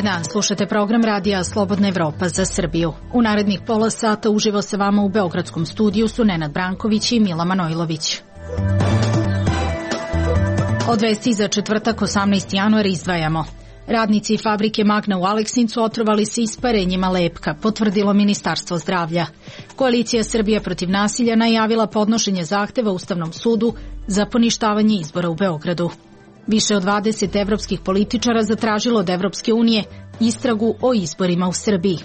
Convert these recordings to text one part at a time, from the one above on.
dan, slušate program radija Slobodna Evropa za Srbiju. U narednih pola sata uživo sa vama u beogradskom studiju su Nenad Branković i Mila Manojlović. Od vesti za četvrtak 18. januar izdvajamo. Radnici fabrike Magna u Aleksincu otrovali se isparenjima lepka, potvrdilo Ministarstvo zdravlja. Koalicija Srbija protiv nasilja najavila podnošenje zahteva Ustavnom sudu za poništavanje izbora u Beogradu. Više od 20 evropskih političara zatražilo od Evropske unije istragu o izborima u Srbiji.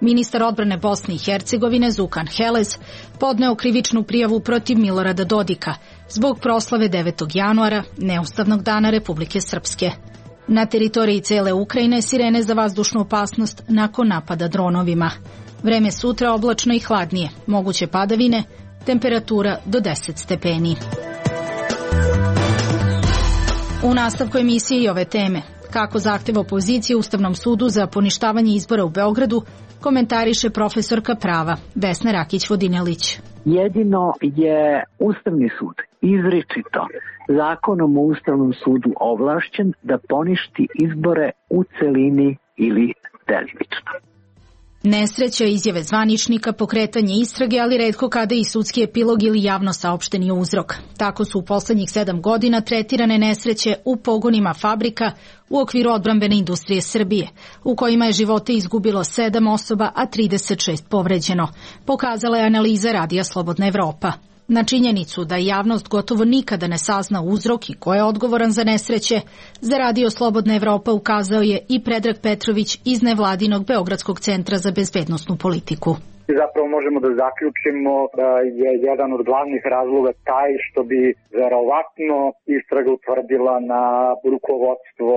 Ministar odbrane Bosne i Hercegovine Zukan Helez podneo krivičnu prijavu protiv Milorada Dodika zbog proslave 9. januara, neustavnog dana Republike Srpske. Na teritoriji cele Ukrajine sirene za vazdušnu opasnost nakon napada dronovima. Vreme sutra oblačno i hladnije, moguće padavine, temperatura do 10 stepeni. U nastavku emisije i ove teme, kako zahteva opozicije Ustavnom sudu za poništavanje izbora u Beogradu, komentariše profesorka prava Vesna Rakić-Vodinelić. Jedino je Ustavni sud izričito zakonom o Ustavnom sudu ovlašćen da poništi izbore u celini ili delimično. Nesreća, izjave zvaničnika, pokretanje istrage, ali retko kada i sudski epilog ili javno saopšteni uzrok. Tako su u poslednjih 7 godina tretirane nesreće u pogonima fabrika u okviru odbrambene industrije Srbije, u kojima je živote izgubilo 7 osoba, a 36 povređeno, pokazala je analiza radija Slobodna Evropa. Na činjenicu da javnost gotovo nikada ne sazna uzrok i ko je odgovoran za nesreće, za radio Slobodna Evropa ukazao je i Predrag Petrović iz nevladinog Beogradskog centra za bezbednosnu politiku. Zapravo možemo da zaključimo da je jedan od glavnih razloga taj što bi verovatno istraga utvrdila na rukovodstvo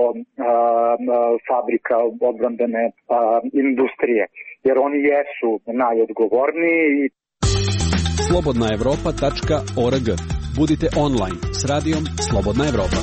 fabrika odbrambene industrije, jer oni jesu najodgovorniji. slobodnaevropa.org. Budite online s radijom Slobodna Evropa.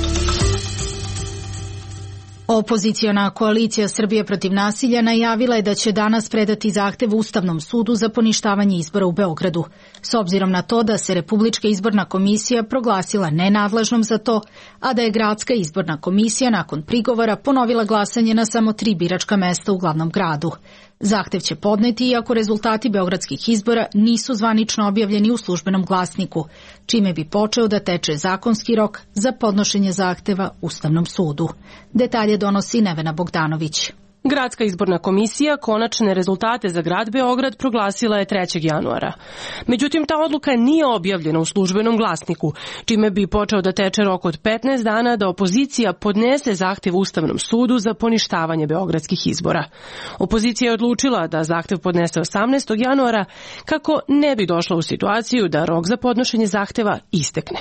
Opoziciona koalicija Srbije protiv nasilja najavila je da će danas predati zahtev Ustavnom sudu za poništavanje izbora u Beogradu. S obzirom na to da se Republička izborna komisija proglasila nenadležnom za to, a da je Gradska izborna komisija nakon prigovora ponovila glasanje na samo 3 biračka mesta u glavnom gradu. Zahtev će podneti iako rezultati beogradskih izbora nisu zvanično objavljeni u službenom glasniku, čime bi počeo da teče zakonski rok za podnošenje zahteva Ustavnom sudu. Detalje donosi Nevena Bogdanović. Gradska izborna komisija konačne rezultate za grad Beograd proglasila je 3. januara. Međutim, ta odluka nije objavljena u službenom glasniku, čime bi počeo da teče rok od 15 dana da opozicija podnese zahtev Ustavnom sudu za poništavanje beogradskih izbora. Opozicija je odlučila da zahtev podnese 18. januara kako ne bi došla u situaciju da rok za podnošenje zahteva istekne.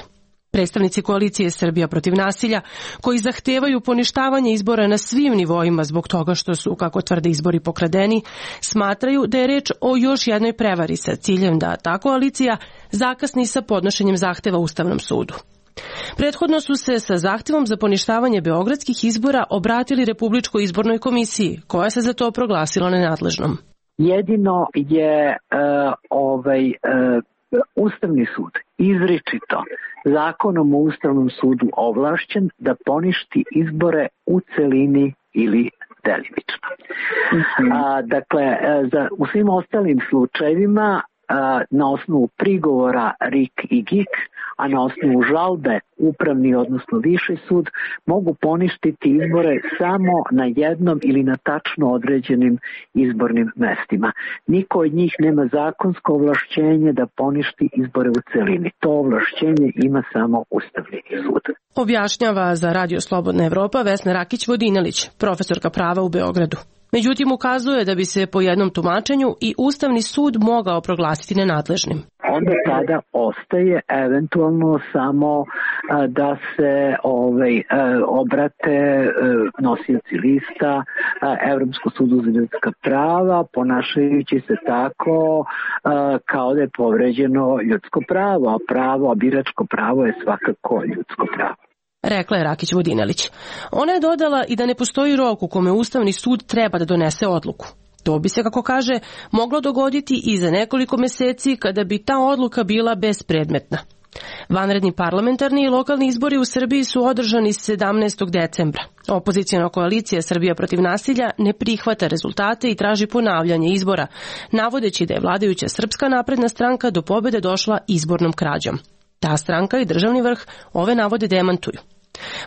Predstavnici koalicije Srbija protiv nasilja, koji zahtevaju poništavanje izbora na svim nivoima zbog toga što su, kako tvrde, izbori pokradeni, smatraju da je reč o još jednoj prevari sa ciljem da ta koalicija zakasni sa podnošenjem zahteva Ustavnom sudu. Prethodno su se sa zahtevom za poništavanje beogradskih izbora obratili Republičkoj izbornoj komisiji, koja se za to proglasila nenadležnom. Jedino je Ustavni sud izričito zakonom o Ustavnom sudu ovlašćen da poništi izbore u celini ili delimično. U svim ostalim slučajevima na osnovu prigovora RIK i GIK, a na osnovu žalbe upravni, odnosno viši sud, mogu poništiti izbore samo na jednom ili na tačno određenim izbornim mestima. Niko od njih nema zakonsko ovlašćenje da poništi izbore u celini. To ovlašćenje ima samo Ustavni sud. Objašnjava za Radio Slobodna Evropa Vesna Rakić-Vodinelić, profesorka prava u Beogradu. Međutim, ukazuje da bi se po jednom tumačenju i Ustavni sud mogao proglasiti nenadležnim. Onda tada ostaje eventualno samo da se obrate nosioci lista Evropskom sudu za ljudska prava, ponašajući se tako kao da je povređeno ljudsko pravo, a biračko pravo je svakako ljudsko pravo. Rekla je Rakić-Vodinelić. Ona je dodala i da ne postoji rok u kome Ustavni sud treba da donese odluku. To bi se, kako kaže, moglo dogoditi i za nekoliko meseci kada bi ta odluka bila bespredmetna. Vanredni parlamentarni i lokalni izbori u Srbiji su održani 17. decembra. Opozicijona koalicija Srbija protiv nasilja ne prihvata rezultate i traži ponavljanje izbora, navodeći da je vladajuća Srpska napredna stranka do pobede došla izbornom krađom. Ta stranka i državni vrh ove navode demantuju.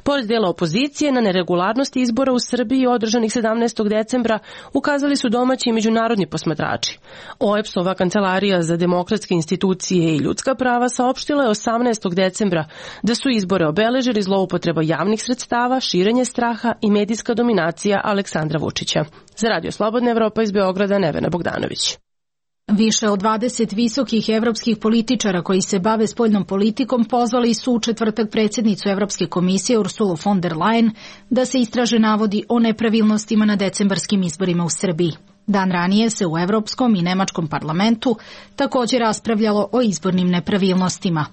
Pored dela opozicije na neregularnosti izbora u Srbiji održanih 17. decembra ukazali su domaći i međunarodni posmatrači. OEBS-ova kancelarija za demokratske institucije i ljudska prava saopštila je 18. decembra da su izbore obeležili zloupotreba javnih sredstava, širenje straha i medijska dominacija Aleksandra Vučića. Za Radio Slobodna Evropa iz Beograda, Nevena Bogdanović. Više od 20 visokih evropskih političara koji se bave spoljnom politikom pozvali su u četvrtak predsjednicu Evropske komisije Ursulu von der Leyen da se istraže navodi o nepravilnostima na decembarskim izborima u Srbiji. Dan ranije se u Evropskom i Nemačkom parlamentu također raspravljalo o izbornim nepravilnostima.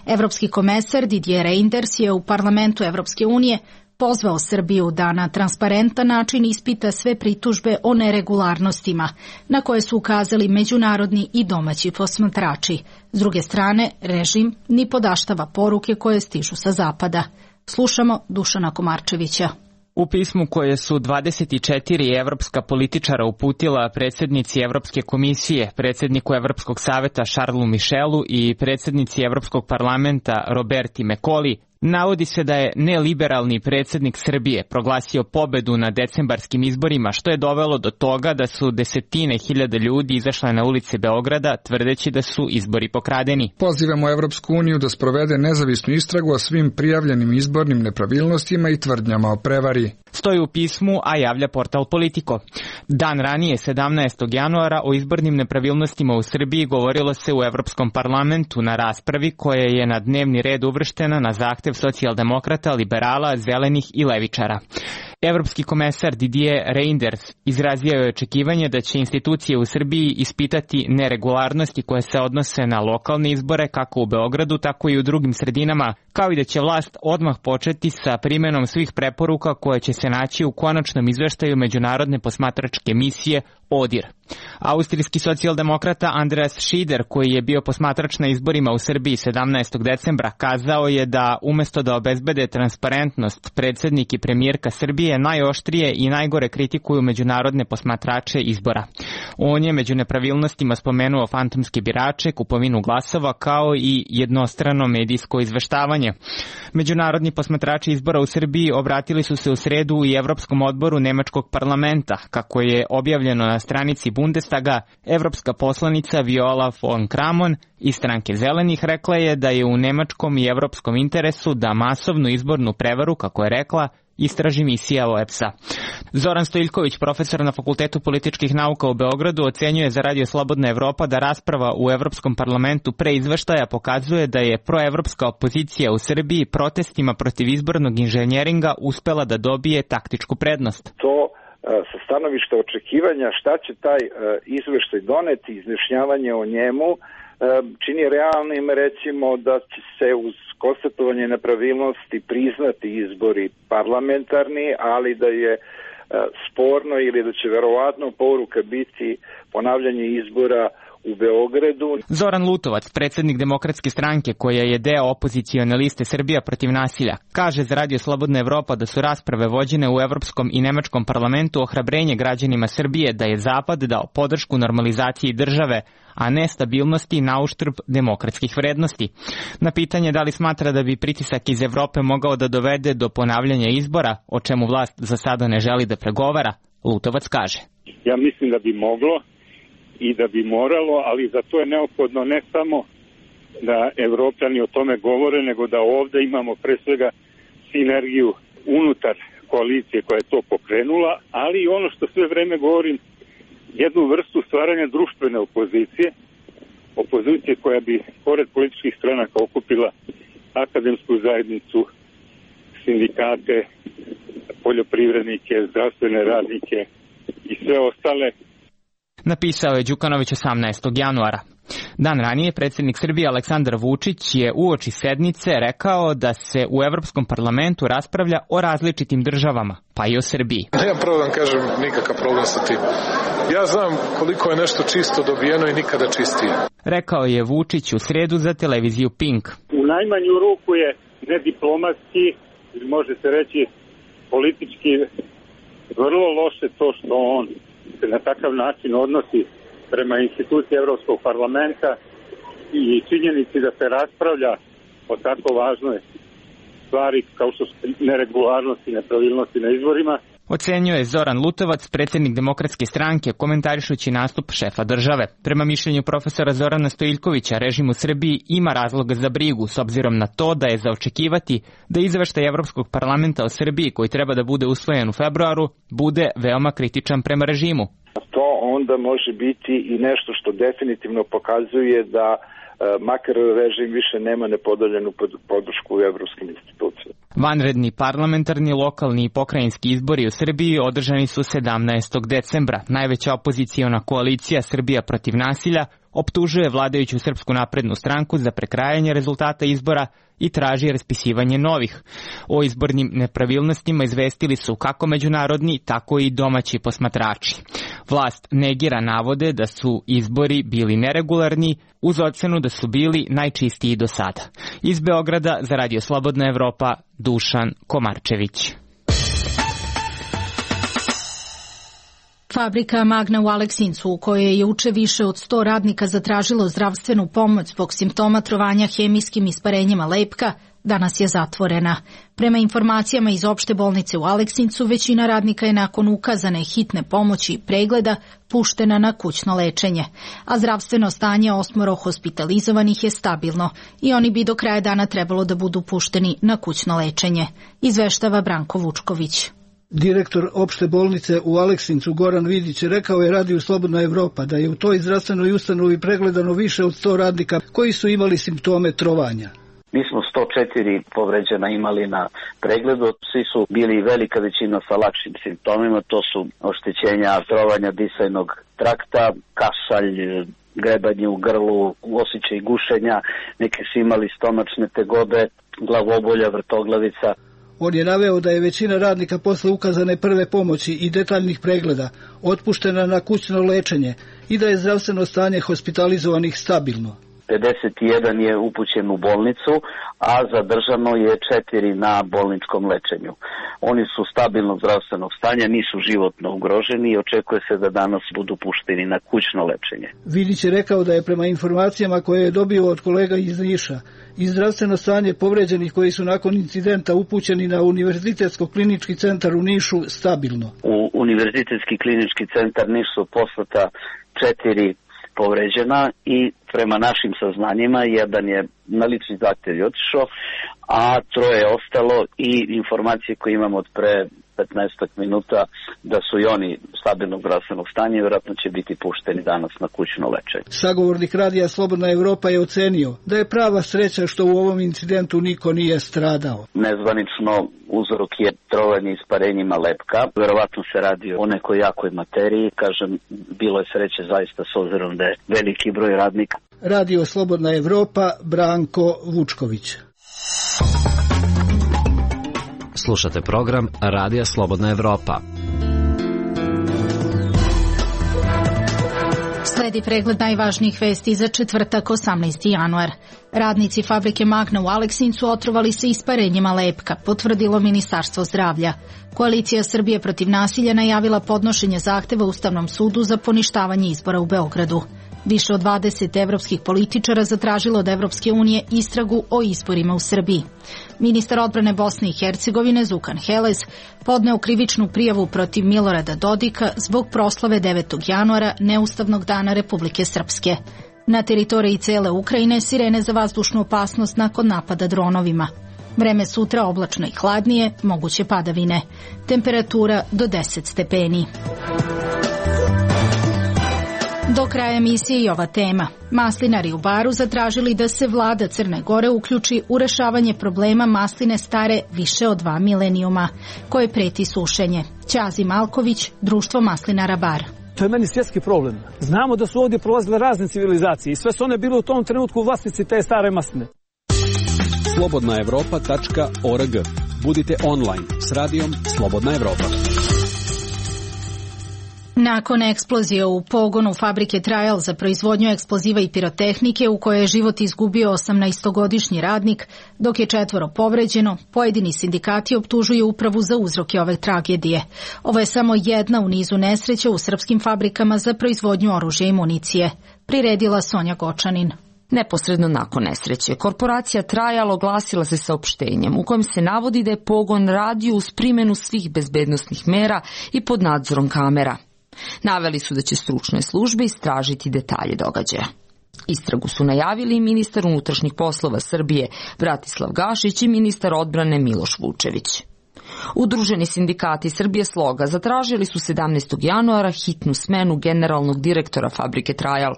Evropski komesar Didier Reynders je u parlamentu Evropske unije pozvao Srbiju da na transparentan način ispita sve pritužbe o neregularnostima, na koje su ukazali međunarodni i domaći posmatrači. S druge strane, režim ni podaštava poruke koje stižu sa zapada. Slušamo Dušana Komarčevića. U pismu koje su 24 evropska političara uputila predsjednici Evropske komisije, predsjedniku Evropskog saveta Charlesu Michelu i predsjednici Evropskog parlamenta Roberti Mecoli, navodi se da je neliberalni predsjednik Srbije proglasio pobedu na decembarskim izborima, što je dovelo do toga da su desetine hiljada ljudi izašle na ulice Beograda tvrdeći da su izbori pokradeni. Pozivamo Evropsku uniju da sprovede nezavisnu istragu o svim prijavljenim izbornim nepravilnostima i tvrdnjama o prevari. Stoji u pismu, a javlja portal Politico. Dan ranije, 17. januara, o izbornim nepravilnostima u Srbiji govorilo se u Evropskom parlamentu na raspravi koja je na dnevni red uvrštena na zahtev socijaldemokrata, liberala, zelenih i levičara. Evropski komesar Didier Reynders izrazio je očekivanje da će institucije u Srbiji ispitati neregularnosti koje se odnose na lokalne izbore kako u Beogradu, tako i u drugim sredinama, kao i da će vlast odmah početi sa primjenom svih preporuka koje će se naći u konačnom izveštaju međunarodne posmatračke misije ODIR. Austrijski socijaldemokrata Andreas Schieder, koji je bio posmatrač na izborima u Srbiji 17. decembra, kazao je da umjesto da obezbede transparentnost, predsjednik i premijerka Srbije najoštrije i najgore kritikuju međunarodne posmatrače izbora. On je među nepravilnostima spomenuo fantomske birače, kupovinu glasova, kao i jednostrano medijsko izveštavanje. Međunarodni posmatrači izbora u Srbiji obratili su se u sredu i Evropskom odboru Nemačkog parlamenta. Kako je objavljeno na stranici Bundestaga, evropska poslanica Viola von Kramon iz stranke Zelenih rekla je da je u nemačkom i evropskom interesu da masovnu izbornu prevaru, kako je rekla, istraži misija OEBS-a. Zoran Stojiljković, profesor na Fakultetu političkih nauka u Beogradu, ocenjuje za Radio Slobodna Evropa da rasprava u Evropskom parlamentu pre izveštaja pokazuje da je proevropska opozicija u Srbiji protestima protiv izbornog inženjeringa uspela da dobije taktičku prednost. To sa stanovišta očekivanja šta će taj izveštaj doneti, izjašnjavanje o njemu, čini realnim recimo da će se uz konstatovanje nepravilnosti priznati izbori parlamentarni, ali da je sporno ili da će verovatno poruka biti ponavljanje izbora u Beogradu. Zoran Lutovac, predsjednik Demokratske stranke koja je deo opozicione liste Srbija protiv nasilja, kaže za Radio Slobodna Evropa da su rasprave vođene u Evropskom i Nemačkom parlamentu ohrabrenje građanima Srbije da je Zapad dao podršku normalizaciji države, a ne stabilnosti na uštrb demokratskih vrednosti. Na pitanje da li smatra da bi pritisak iz Evrope mogao da dovede do ponavljanja izbora, o čemu vlast za sada ne želi da pregovara, Lutovac kaže. Ja mislim da bi moglo i da bi moralo, ali za to je neophodno ne samo da Evropljani o tome govore, nego da ovde imamo pre svega sinergiju unutar koalicije koja je to pokrenula, ali i ono što sve vreme govorim, jednu vrstu stvaranja društvene opozicije koja bi pored političkih stranaka okupila akademsku zajednicu, sindikate, poljoprivrednike, zdravstvene radnike i sve ostale. Napisao je Đukanović 18. januara. Dan ranije predsjednik Srbije Aleksandar Vučić je uoči sednice rekao da se u Evropskom parlamentu raspravlja o različitim državama, pa i o Srbiji. Nemam pravo da vam kažem nikakav problem sa tim. Ja znam koliko je nešto čisto dobijeno i nikada čistije. Rekao je Vučić u sredu za televiziju Pink. U najmanju ruku je nediplomatski, može se reći politički, vrlo loše to što on se na takav način odnosi prema instituciji Evropskog parlamenta i činjenici da se raspravlja o tako važnoj stvari kao što su neregularnosti i nepravilnosti na izborima. Ocenio je Zoran Lutovac, predsjednik Demokratske stranke, komentarišući nastup šefa države. Prema mišljenju profesora Zorana Stojiljkovića, režim u Srbiji ima razloga za brigu, s obzirom na to da je za očekivati da izveštaj Evropskog parlamenta o Srbiji, koji treba da bude usvojen u februaru, bude veoma kritičan prema režimu. To onda može biti i nešto što definitivno pokazuje da makar režim više nema nepodeljenu podršku u evropskim institucijama. Vanredni parlamentarni, lokalni i pokrajinski izbori u Srbiji održani su 17. decembra. Najveća opoziciona koalicija Srbija protiv nasilja optužuje vladajuću Srpsku naprednu stranku za prekrajanje rezultata izbora i traži raspisivanje novih. O izbornim nepravilnostima izvestili su kako međunarodni, tako i domaći posmatrači. Vlast negira navode da su izbori bili neregularni, uz ocenu da su bili najčistiji do sada. Iz Beograda za Radio Slobodna Evropa, Dušan Komarčević. Fabrika Magna u Aleksincu, u kojoj je juče više od 100 radnika zatražilo zdravstvenu pomoć zbog simptoma trovanja hemijskim isparenjima lepka, danas je zatvorena. Prema informacijama iz opšte bolnice u Aleksincu, većina radnika je nakon ukazane hitne pomoći i pregleda puštena na kućno lečenje, a zdravstveno stanje 8 hospitalizovanih je stabilno i oni bi do kraja dana trebalo da budu pušteni na kućno lečenje, izveštava Branko Vučković. Direktor opšte bolnice u Aleksincu Goran Vidić rekao je Radiju Slobodna Evropa da je u toj zdravstvenoj ustanovi pregledano više od 100 radnika koji su imali simptome trovanja. Mi smo 104 povređena imali na pregledu, svi su bili velika većina sa lakšim simptomima, to su oštećenja trovanja disajnog trakta, kašalj, grebanje u grlu, osjećaj gušenja, neki su imali stomačne tegobe, glavobolja, vrtoglavica. On je naveo da je većina radnika posle ukazane prve pomoći i detaljnih pregleda otpuštena na kućno lečenje i da je zdravstveno stanje hospitalizovanih stabilno. 51 je upućen u bolnicu, a zadržano je 4 na bolničkom lečenju. Oni su stabilnog zdravstvenog stanja, nisu životno ugroženi i očekuje se da danas budu pušteni na kućno lečenje. Vidić je rekao da je prema informacijama koje je dobio od kolega iz Niša i zdravstveno stanje povređenih koji su nakon incidenta upućeni na Univerzitetsko klinički centar u Nišu stabilno. U Univerzitetski klinički centar Niš su poslata 4 povređena i prema našim saznanjima jedan je na lični zahtev otišao, a 3 je ostalo i informacije koje imamo od pre 15 minuta da su i oni stabilnog zdravstvenog stanja i vjerojatno će biti pušteni danas na kućno lečenje. Sagovornik Radija Slobodna Evropa je ocenio da je prava sreća što u ovom incidentu niko nije stradao. Nezvanično uzrok je trovanje isparenjima lepka. Vjerovatno se radi o nekoj jakoj materiji. Kažem, bilo je sreće zaista s obzirom da je veliki broj radnika. Radio Slobodna Evropa, Branko Vučković. Slušate program Radija Slobodna Evropa. Sledi pregled najvažnijih vesti za četvrtak 18. januar. Radnici fabrike Magna u Aleksincu otrovali se isparenjima lepka, potvrdilo Ministarstvo zdravlja. Koalicija Srbije protiv nasilja najavila podnošenje zahteva Ustavnom sudu za poništavanje izbora u Beogradu. Više od 20 evropskih političara zatražilo od Evropske unije istragu o izborima u Srbiji. Ministar odbrane Bosne i Hercegovine Zukan Helez podneo krivičnu prijavu protiv Milorada Dodika zbog proslave 9. januara, neustavnog dana Republike Srpske. Na teritoriji cele Ukrajine sirene za vazdušnu opasnost nakon napada dronovima. Vreme sutra oblačno i hladnije, moguće padavine. Temperatura do 10 stepeni. Do kraja emisije i ova tema. Maslinari u Baru zatražili da se vlada Crne Gore uključi u rešavanje problema masline stare više od 2 milenijuma, koje preti sušenje. Ćazi Malković, Društvo maslinara Bar. To je meni svjetski problem. Znamo da su ovdje prolazile razne civilizacije i sve su one bile u tom trenutku vlasnici te stare masline. slobodnaevropa.org. Budite online s radijom Slobodna Evropa. Nakon eksplozije u pogonu fabrike Trajal za proizvodnju eksploziva i pirotehnike u kojoj je život izgubio 18-godišnji radnik, dok je 4 povređeno, pojedini sindikati optužuju upravu za uzroke ove tragedije. Ovo je samo jedna u nizu nesreća u srpskim fabrikama za proizvodnju oružja i municije. Priredila Sonja Gočanin. Neposredno nakon nesreće, korporacija Trajal oglasila se saopštenjem u kojem se navodi da je pogon radio uz primjenu svih bezbednosnih mera i pod nadzorom kamera. Naveli su da će stručne službe istražiti detalje događaja. Istragu su najavili i ministar unutrašnjih poslova Srbije Bratislav Gašić i ministar odbrane Miloš Vučević. Udruženi sindikati Srbije Sloga zatražili su 17. januara hitnu smenu generalnog direktora fabrike Trajal,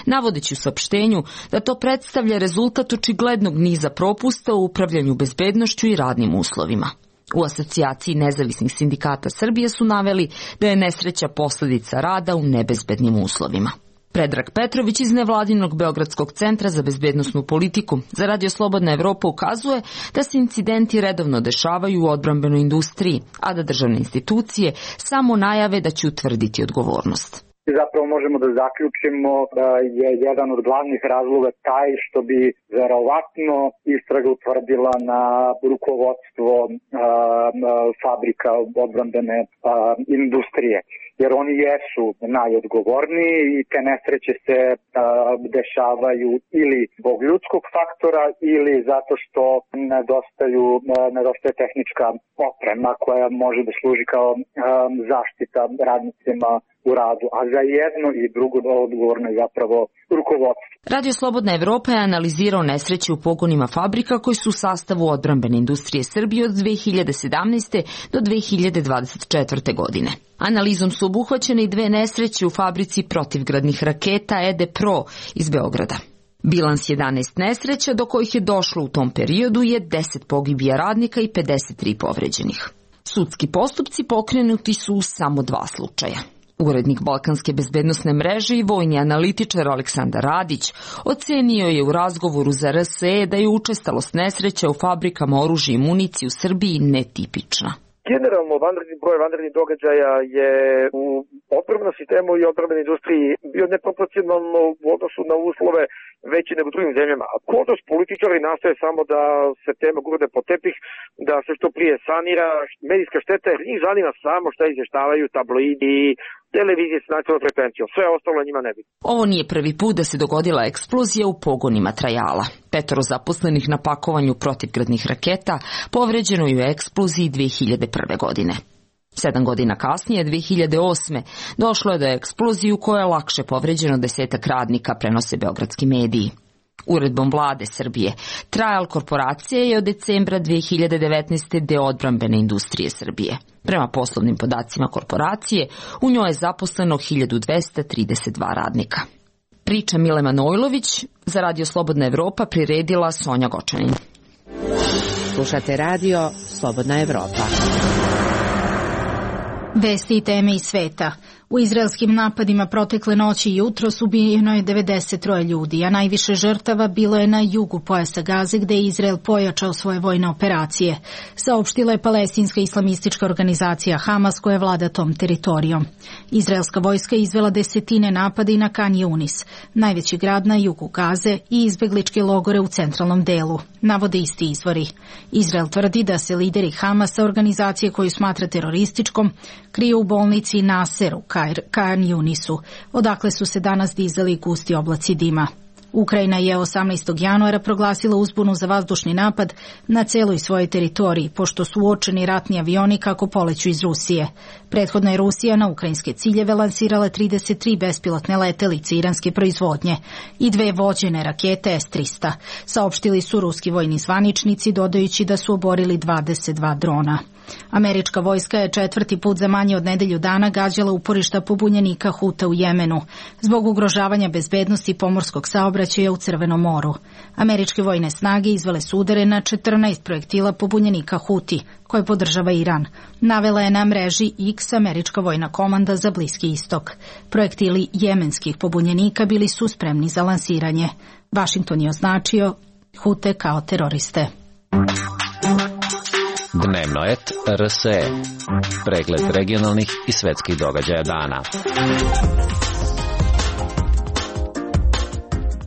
navodeći u saopštenju da to predstavlja rezultat očiglednog niza propusta u upravljanju bezbednošću i radnim uslovima. U asocijaciji nezavisnih sindikata Srbije su naveli da je nesreća posljedica rada u nebezbednim uslovima. Predrag Petrović iz nevladinog Beogradskog centra za bezbednosnu politiku za Radio Slobodna Evropa ukazuje da se incidenti redovno dešavaju u odbrambenoj industriji, a da državne institucije samo najave da će utvrditi odgovornost. Zapravo možemo da zaključimo da je jedan od glavnih razloga taj što bi verovatno istraga utvrdila na rukovodstvo fabrika odbrambene industrije. Jer oni jesu najodgovorniji i te nesreće se dešavaju ili zbog ljudskog faktora ili zato što nedostaje tehnička oprema koja može da služi kao zaštita radnicima u radu, a za jedno i drugo odgovorno je zapravo rukovodstvo. Radio Slobodna Evropa je analizirao nesreće u pogonima fabrika koji su u sastavu odbrambene industrije Srbije od 2017. do 2024. godine. Analizom su obuhvaćene i 2 nesreće u fabrici protivgradnih raketa ED-PRO iz Beograda. Bilans 11 nesreća do kojih je došlo u tom periodu je 10 pogibija radnika i 53 povređenih. Sudski postupci pokrenuti su u samo 2 slučaja. Urednik Balkanske bezbednosne mreže i vojni analitičar Aleksandar Radić ocenio je u razgovoru za RSE da je učestalost nesreća u fabrikama oružja i municije u Srbiji netipična. Generalno, broj vanrednih događaja je u odbrambenom sistemu i odbrambenoj industriji bio neproporcionalno u odnosu na uslove veći nego u drugim zemljama. A kod nas političari nastoje samo da se tema gurne po tepih, da se što prije sanira medijska šteta, jer njih zanima samo šta izvještavaju tabloidi, televizije s nacionalnom frekvencijom. Sve ostalo njima ne bi. Ovo nije prvi put da se dogodila eksplozija u pogonima Trajala. 5 zaposlenih na pakovanju protivgradnih raketa povređeno je u eksploziji 2001. godine. 7 godina kasnije, 2008. došlo je do eksplozije u kojoj je lakše povređeno 10 radnika, prenose beogradski mediji. Uredbom vlade Srbije, Trajal korporacija je od decembra 2019. deo odbrambene industrije Srbije. Prema poslovnim podacima korporacije, u njoj je zaposleno 1232 radnika. Priča Mile Manojlović za Radio Slobodna Evropa priredila Sonja Gočanin. Slušate Radio Slobodna Evropa. Vesti i teme iz sveta. U izraelskim napadima protekle noći i jutros ubijeno je 93 ljudi, a najviše žrtava bilo je na jugu pojasa Gaze, gde je Izrael pojačao svoje vojne operacije, saopštila je palestinska islamistička organizacija Hamas koja vlada tom teritorijom. Izraelska vojska izvela desetine napada i na Kan Yunis, najveći grad na jugu Gaze, i izbegličke logore u centralnom delu, navode isti izvori. Izrael tvrdi da se lideri Hamasa, organizacije koju smatra terorističkom, kriju u bolnici Nasser u Kan Yunisu, odakle su se danas dizali gusti oblaci dima. Ukrajina je 18. januara proglasila uzbunu za vazdušni napad na celoj svojoj teritoriji, pošto su uočeni ratni avioni kako poleću iz Rusije. Prethodno je Rusija na ukrajinske ciljeve lansirala 33 bespilotne letelice iranske proizvodnje i 2 vođene rakete S-300, saopštili su ruski vojni zvaničnici, dodajući da su oborili 22 drona. Američka vojska je 4. put za manje od nedelju dana gađala uporišta pobunjenika Huta u Jemenu, zbog ugrožavanja bezbednosti pomorskog saobraćaja u Crvenom moru. Američke vojne snage izvele su udare na 14 projektila pobunjenika Huti, koje podržava Iran. Navela je na mreži X Američka vojna komanda za Bliski istok. Projektili jemenskih pobunjenika bili su spremni za lansiranje. Vašington je označio Hute kao teroriste. Dnevno et RSE. Pregled regionalnih i svetskih događaja dana.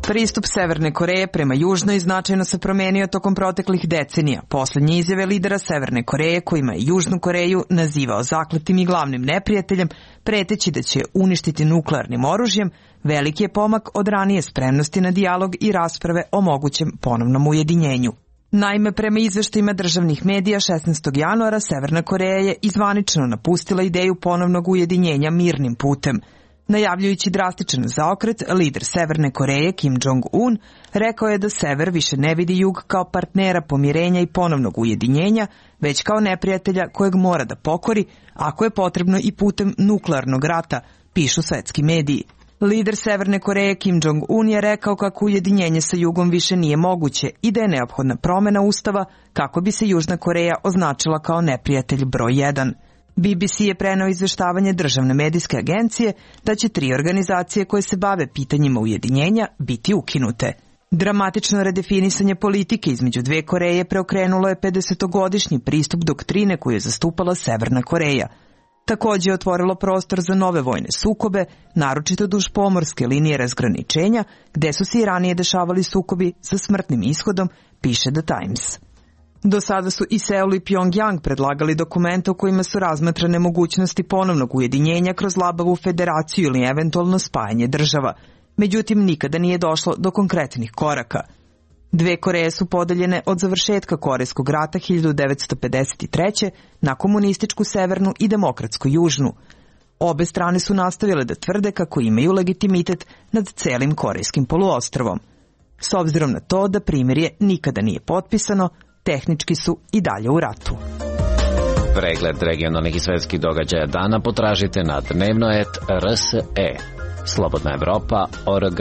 Pristup Severne Koreje prema Južnoj značajno se promenio tokom proteklih decenija. Poslednje izjave lidera Severne Koreje, kojima je Južnu Koreju nazivao zakletim i glavnim neprijateljem, preteći da će uništiti nuklearnim oružjem, veliki je pomak od ranije spremnosti na dijalog i rasprave o mogućem ponovnom ujedinjenju. Naime, prema izveštajima državnih medija 16. januara Severna Koreja je izvanično napustila ideju ponovnog ujedinjenja mirnim putem. Najavljujući drastičan zaokret, lider Severne Koreje Kim Jong-un rekao je da Sever više ne vidi Jug kao partnera pomirenja i ponovnog ujedinjenja, već kao neprijatelja kojeg mora da pokori, ako je potrebno i putem nuklearnog rata, pišu svetski mediji. Lider Severne Koreje Kim Jong-un je rekao kako ujedinjenje sa Jugom više nije moguće i da je neophodna promena ustava kako bi se Južna Koreja označila kao neprijatelj broj 1. BBC je preneo izveštavanje državne medijske agencije da će 3 organizacije koje se bave pitanjima ujedinjenja biti ukinute. Dramatično redefinisanje politike između dve Koreje preokrenulo je 50-godišnji pristup doktrine koju je zastupala Severna Koreja. Takođe je otvorilo prostor za nove vojne sukobe, naročito duž pomorske linije razgraničenja, gde su se i ranije dešavali sukobi sa smrtnim ishodom, piše The Times. Do sada su i Seul i Pyongyang predlagali dokumente u kojima su razmatrane mogućnosti ponovnog ujedinjenja kroz labavu federaciju ili eventualno spajanje država. Međutim, nikada nije došlo do konkretnih koraka. Dve Koreje su podeljene od završetka Korejskog rata 1953. na komunističku severnu i demokratsku južnu. Obe strane su nastavile da tvrde kako imaju legitimitet nad celim korejskim poluostrvom. S obzirom na to da primirje nikada nije potpisano, tehnički su i dalje u ratu. Pregled regionalnih i svetskih događaja dana potražite na dnevno.rs.e. Slobodna Evropa.org.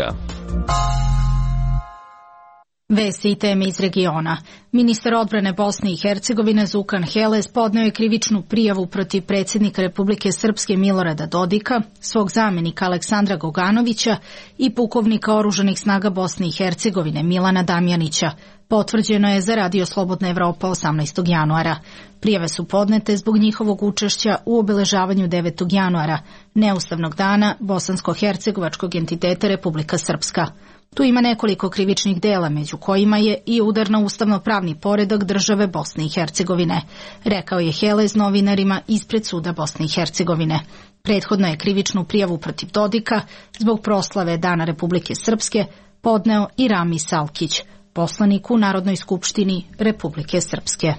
Vesti i teme iz regiona. Ministar odbrane Bosne i Hercegovine Zukan Heles podneo je krivičnu prijavu protiv predsjednika Republike Srpske Milorada Dodika, svog zamenika Aleksandra Goganovića i pukovnika oružanih snaga Bosne i Hercegovine Milana Damjanića. Potvrđeno je za Radio Slobodna Evropa 18. januara. Prijave su podnete zbog njihovog učešća u obeležavanju 9. januara, neustavnog dana bosansko-hercegovačkog entiteta Republika Srpska. Tu ima nekoliko krivičnih dela, među kojima je i udar na ustavno-pravni poredak države Bosne i Hercegovine, rekao je Heles novinarima ispred suda Bosne i Hercegovine. Prethodno je krivičnu prijavu protiv Dodika zbog proslave Dana Republike Srpske podneo i Rami Salkić, poslanik u Narodnoj skupštini Republike Srpske.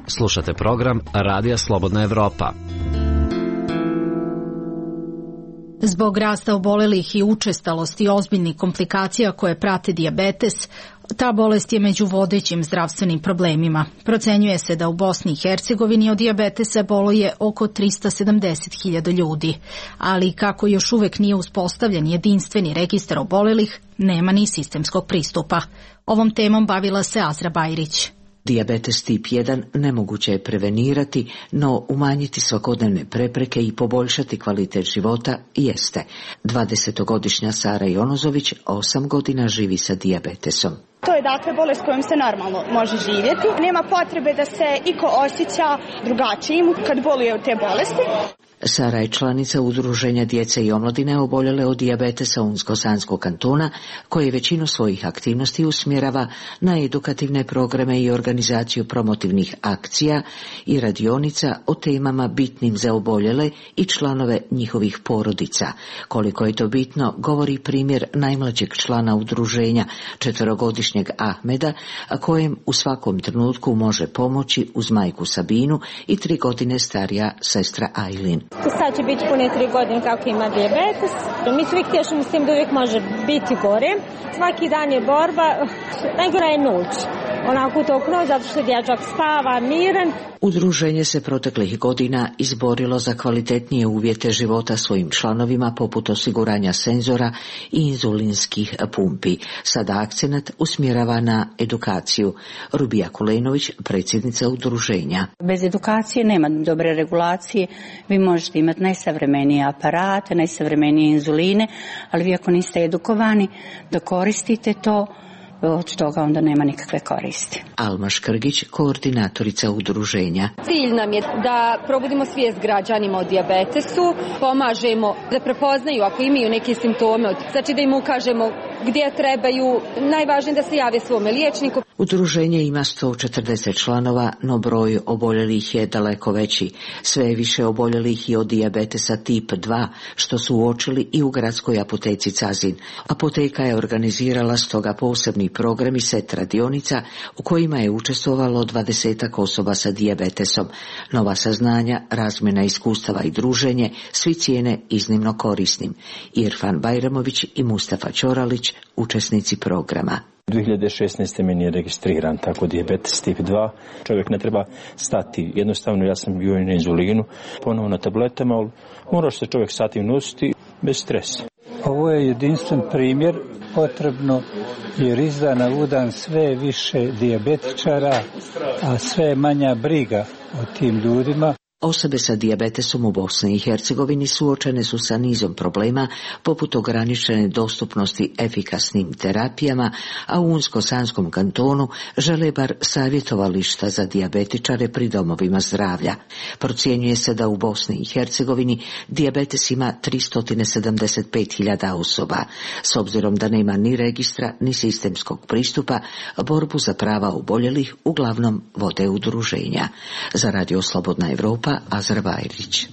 Slušate program Radija Slobodna Evropa. Zbog rasta obolelih i učestalosti ozbiljnih komplikacija koje prate dijabetes, ta bolest je među vodećim zdravstvenim problemima. Procenjuje se da u Bosni i Hercegovini od dijabetesa boluje oko 370.000 ljudi, ali kako još uvek nije uspostavljen jedinstveni registar obolelih, nema ni sistemskog pristupa. Ovom temom bavila se Azra Bajrić. Dijabetes tip 1 nemoguće je prevenirati, no umanjiti svakodnevne prepreke i poboljšati kvalitet života jeste. 20-godišnja Sara Jonozović 8 godina živi sa dijabetesom. To je dakle bolest kojom se normalno može živjeti. Nema potrebe da se iko osjeća drugačijim kad boluje od te bolesti. Sara je članica Udruženja djece i omladine oboljele od dijabetesa Unsko-Sanskog kantona, koje većinu svojih aktivnosti usmjerava na edukativne programe i organizaciju promotivnih akcija i radionica o temama bitnim za oboljele i članove njihovih porodica. Koliko je to bitno, govori primjer najmlađeg člana udruženja, 4-godišnjeg Ahmeda, kojem u svakom trenutku može pomoći uz majku Sabinu i 3 godine starija sestra Ajlin. Sad će biti pune 3 godine kako ima dijabetes. Mi svi tješimo s tim da uvijek može biti gore. Svaki dan je borba, najgora je noć. onako utoknuo zato što dječak spava miran. Udruženje se proteklih godina izborilo za kvalitetnije uvjete života svojim članovima poput osiguranja senzora i inzulinskih pumpi. Sada akcenat usmjerava na edukaciju. Rubija Kulenović, predsjednica udruženja. Bez edukacije nema dobre regulacije. Vi možete imati najsavremenije aparate, najsavremenije inzuline, ali vi ako niste edukovani da koristite to, od toga onda nema nikakve koristi. Alma Škrgić, koordinatorica udruženja. Cilj nam je da probudimo svijest građanima o dijabetesu, pomažemo da prepoznaju ako imaju neke simptome, znači da im ukažemo gdje trebaju, najvažnije da se jave svome liječniku. Udruženje ima 140 članova, no broj oboljelih je daleko veći. Sve je više oboljelih i od dijabetesa tip 2, što su uočili i u gradskoj apoteci Cazin. Apoteka je organizirala stoga posebni program i set radionica u kojima je učestvovalo 20 osoba sa dijabetesom. Nova saznanja, razmjena iskustava i druženje svi cijene iznimno korisnim. Irfan Bajramović i Mustafa Ćoralić, učesnici programa. 2016. meni je registriran tako dijabetes tip 2. Čovjek ne treba stati. Jednostavno ja sam bio na inzulinu, ponovo na tabletama, ali mora se čovjek stati nositi bez stresa. Ovo je jedinstven primjer, potrebno jer izdana udan sve više dijabetičara, a sve manja briga o tim ljudima. Osobe sa dijabetesom u Bosni i Hercegovini suočene su sa nizom problema poput ograničene dostupnosti efikasnim terapijama, a u Unsko-Sanskom kantonu žele bar savjetovališta za dijabetičare pri domovima zdravlja. Procjenjuje se da u Bosni i Hercegovini dijabetes ima 375.000 osoba. S obzirom da nema ni registra ni sistemskog pristupa, borbu za prava oboljelih uglavnom vode udruženja. Za Radio Slobodna Evropa, Azar Bajrić.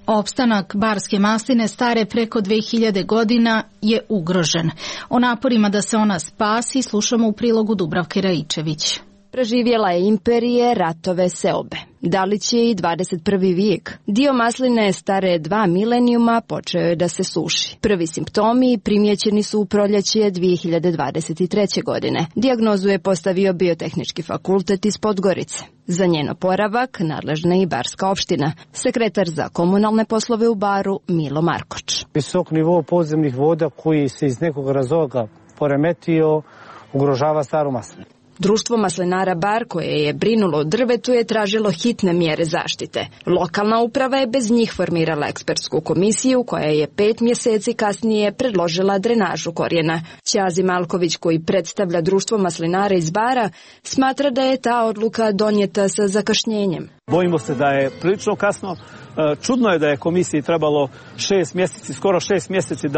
Opstanak barske masline stare preko 2000 godina je ugrožen. O naporima da se ona spasi slušamo u prilogu Dubravke Raičević. Preživjela je imperije, ratove, seobe. Da li će i 21. vijek? Dio masline stare 2 milenijuma počeo je da se suši. Prvi simptomi primjećeni su u proljeće 2023. godine. Dijagnozu je postavio Biotehnički fakultet iz Podgorice. Za njen oporavak nadležna je i Barska opština. Sekretar za komunalne poslove u Baru Milo Markoč. Visok nivo podzemnih voda koji se iz nekog razloga poremetio ugrožava staru maslinu. Društvo maslinara Bar, koje je brinulo o drvetu, je tražilo hitne mjere zaštite. Lokalna uprava je bez njih formirala ekspertsku komisiju koja je 5 mjeseci kasnije predložila drenažu korijena. Ćazi Malković, koji predstavlja društvo maslinara iz Bara, smatra da je ta odluka donijeta sa zakašnjenjem. Bojimo se da je prilično kasno. Čudno je da je komisiji trebalo 6 mjeseci, skoro 6 mjeseci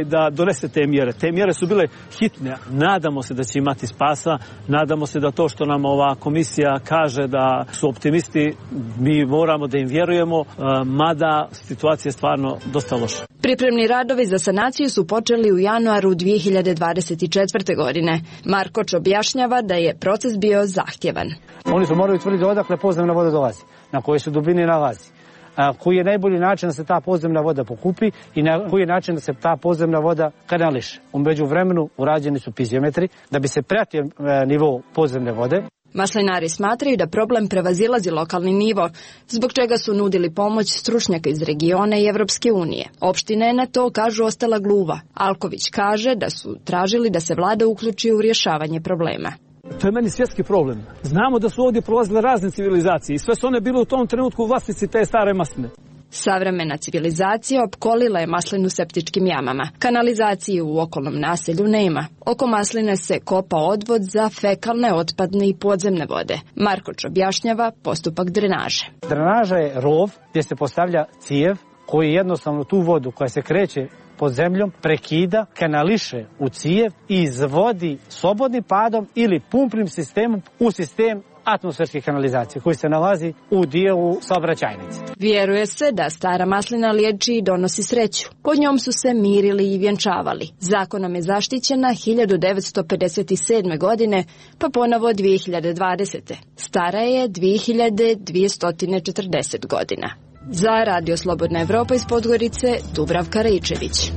da donese te mjere. Te mjere su bile hitne. Nadamo se da će imati spasa, nadamo se da to što nam ova komisija kaže da su optimisti, mi moramo da im vjerujemo, mada situacija je stvarno dosta loša. Pripremni radovi za sanaciju su počeli u januaru 2024. godine. Markoč objašnjava da je proces bio zahtjevan. Oni su morali tvrditi odakle podzemna voda dolazi, na kojoj se dubini nalazi. Koji je najbolji način da se ta podzemna voda pokupi i na koji je način da se ta podzemna voda kanališe. U međuvremenu urađeni su piziometri da bi se pratio nivo podzemne vode. Maslinari smatraju da problem prevazilazi lokalni nivo, zbog čega su nudili pomoć stručnjaka iz regiona i Evropske unije. Opština je na to, kažu, ostala gluva. Alković kaže da su tražili da se vlada uključi u rješavanje problema. To je meni svjetski problem. Znamo da su ovdje prolazile razne civilizacije i sve su one bile u tom trenutku vlasnici te stare masline. Savremena civilizacija opkolila je maslinu septičkim jamama. Kanalizacije u okolnom naselju nema. Oko masline se kopa odvod za fekalne, otpadne i podzemne vode. Markoč objašnjava postupak drenaže. Drenaža je rov gdje se postavlja cijev koji jednostavno tu vodu koja se kreće pod zemljom prekida, kanališe u cijev i izvodi slobodnim padom ili pumpnim sistemom u sistem atmosferske kanalizacije koji se nalazi u dijelu saobraćajnice. Vjeruje se da stara maslina liječi i donosi sreću. Pod njom su se mirili i vjenčavali. Zakonom je zaštićena 1957. godine, pa ponovo 2020. Stara je 2240 godina. Za Radio Slobodna Evropa iz Podgorice, Dubravka Raičević.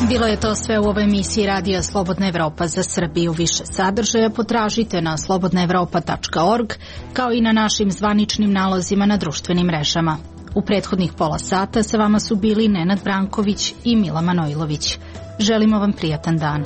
Bilo je to sve u ovoj emisiji Radija Slobodna Evropa za Srbiju. Više sadržaja potražite na slobodnaevropa.org, kao i na našim zvaničnim nalozima na društvenim mrežama. U prethodnih pola sata sa vama su bili Nenad Branković i Mila Manojlović. Želimo vam prijatan dan.